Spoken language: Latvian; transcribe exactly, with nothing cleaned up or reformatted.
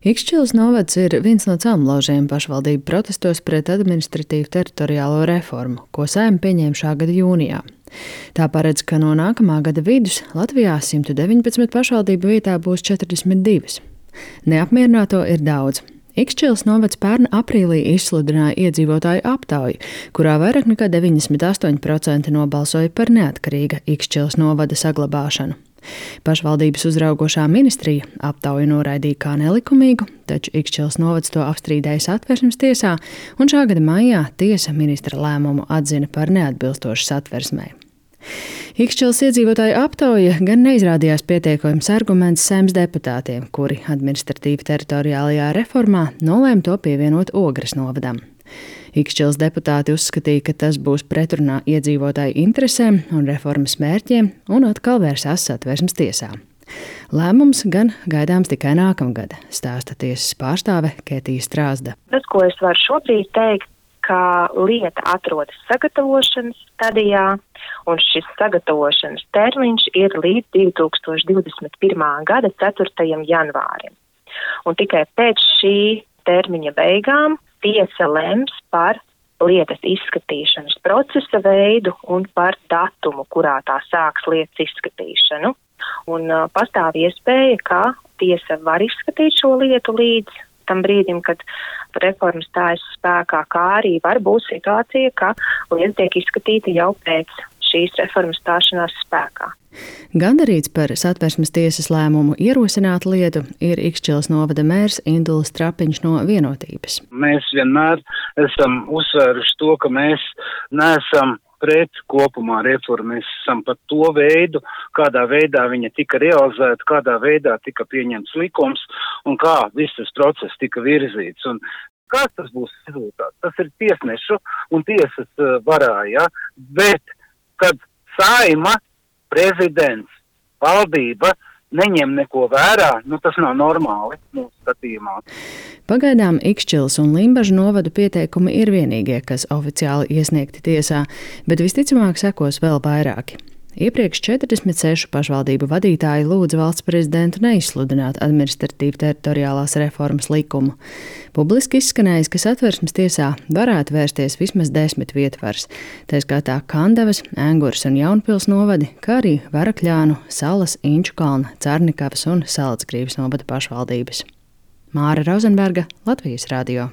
Ikšķilas novads ir viens no celmlaužiem pašvaldību protestos pret administratīvu teritoriālo reformu, ko Saeima pieņēma šā gada jūnijā. Tā paredz, ka no nākamā gada vidus Latvijā simt deviņpadsmit pašvaldību vietā būs četrdesmit divas. Neapmierināto ir daudz. Ikšķilas novads pērn aprīlī izsludināja iedzīvotāju aptauju, kurā vairāk nekā deviņdesmit astoņi procenti nobalsoja par neatkarīga Ikšķilas novada saglabāšanu. Pašvaldības uzraugošā ministrija aptauju noraidīja kā nelikumīgu, taču Ikšķilas novads to apstrīdēja Satversmes tiesā, un šā gada maijā tiesa ministra lēmumu atzina par neatbilstošu Satversmei. Ikšķilas iedzīvotāju aptauja gan neizrādījās pietiekams arguments Saeimas deputātiem, kuri administratīvi teritoriālajā reformā nolēma to pievienot Ogres novadam. Ikšķilas deputāti uzskatīja, ka tas būs pretrunā iedzīvotāju interesēm un reformas mērķiem, un atkal vērsās Satversmes tiesā. Lēmums gan gaidāms tikai nākamgad, stāsta tiesas pārstāve Ketija Strāzda. Tas, ko es varu šobrīd teikt, ka lieta atrodas sagatavošanas stadijā, un šis sagatavošanas termiņš ir līdz divi tūkstoši divdesmit pirmā gada ceturtajam janvārim. Un tikai pēc šī termiņa beigām tiesa lems par lietas izskatīšanas procesa veidu un par datumu, kurā tā sāks lietas izskatīšanu. Un uh, pastāv iespēja, ka tiesa var izskatīt šo lietu līdz tam brīdim, kad reforma stājas spēkā, kā arī var būt situācija, ka lieta tiek izskatīta jau pēc šīs reformas stāšanās spēkā. Gandarīts par Satversmes tiesas lēmumu ierosināt lietu ir Ikšķilas novada mērs Indulis Trapiņš no Vienotības. Mēs vienmēr esam uzsvēruši to, ka mēs neesam pret kopumā reformu, mēs esam par to veidu, kādā veidā viņa tika realizēta, kādā veidā tika pieņemts likums un kā viss tas process tika virzīts. Un kāds tas būs rezultāts? Tas ir tiesnešu un tiesas varā, ja? Bet, kad Saeima, prezidents, valdība neņem neko vērā, nu tas nav normāli mūsu skatījumā. Pagaidām Ikšķilas un Limbažu novadu pieteikumi ir vienīgie, kas oficiāli iesniegti tiesā, bet visticamāk sekos vēl vairāki. Iepriekš četrdesmit sešu pašvaldību vadītāji lūdza valsts prezidentu neizsludināt administratīvu teritoriālās reformas likumu. Publiski izskanējis, ka Satversmes tiesā varētu vērsties vismaz desmit vietvars, tā skaitā Kandavas, Engures un Jaunpils novadi, kā arī Varakļānu, Salas, Inčukalna, Carnikavas un Salacgrīvas novada pašvaldības. Māra Rozenberga, Latvijas radio.